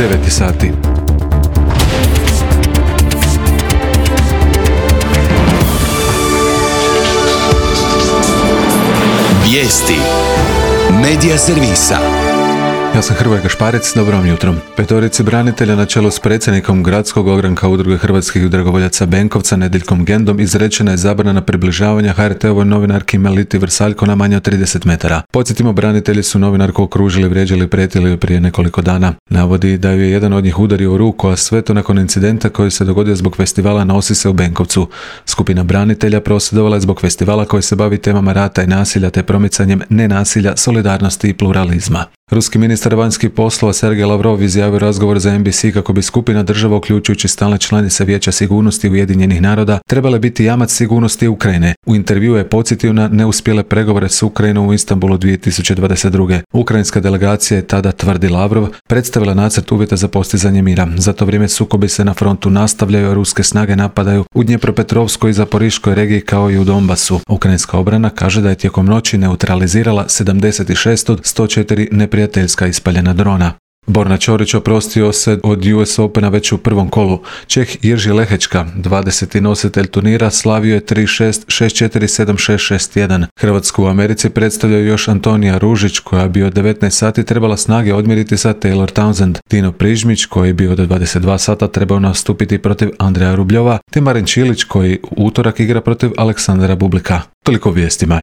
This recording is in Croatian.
9 sati. Vijesti Medija servisa. Ja sam Hrvoje Gašparec, dobro vam jutro. Petorici branitelja na čelu s predsjednikom gradskog ogranka Udruge hrvatskih dragovoljaca Benkovca Nedeljkom Gendom izrečena je zabrana približavanja HRT-ovoj novinarki Meliti Vrsaljko na manje od 30 metara. Podsjetimo, branitelji su novinarku okružili, vrijeđali i prijetili prije nekoliko dana. Navodi da ju je jedan od njih udario u ruku, a sve to nakon incidenta koji se dogodio zbog festivala Nosi se u Benkovcu. Skupina branitelja prosvjedovala je zbog festivala koji se bavi temama rata i nasilja te promicanjem nenasilja, solidarnosti i pluralizma. Ruski ministar vanjskih poslova Sergej Lavrov izjavio razgovor za NBC kako bi skupina država, uključujući stalne članice Vijeća sigurnosti Ujedinjenih naroda, trebale biti jamac sigurnosti Ukrajine. U intervjuu je podsjetio na neuspjele pregovore s Ukrajinom u Istanbulu 2022. Ukrajinska delegacija je tada, tvrdi Lavrov, predstavila nacrt uvjeta za postizanje mira. Za to vrijeme sukobi se na frontu nastavljaju, a ruske snage napadaju u Dnjepropetrovskoj i Zaporiškoj regiji kao i u Donbasu. Ukrajinska obrana kaže da je tijekom noći neutralizirala 76 od 104 neprijateljska ispaljena drona. Borna Ćorić oprostio se od US Opena već u prvom kolu. Čeh Jirži Lehečka, 20. nositelj turnira, slavio je 3-6, 6-4, 7-6, 6-1. Hrvatsku u Americi predstavljaju još Antonija Ružić, koja bi od 19 sati trebala snage odmjeriti sa Taylor Townsend. Dino Prižmić, koji bi od 22 sata trebao nastupiti protiv Andreja Rubljova, te Marin Čilić, koji u utorak igra protiv Aleksandra Bublika. Toliko vijestima.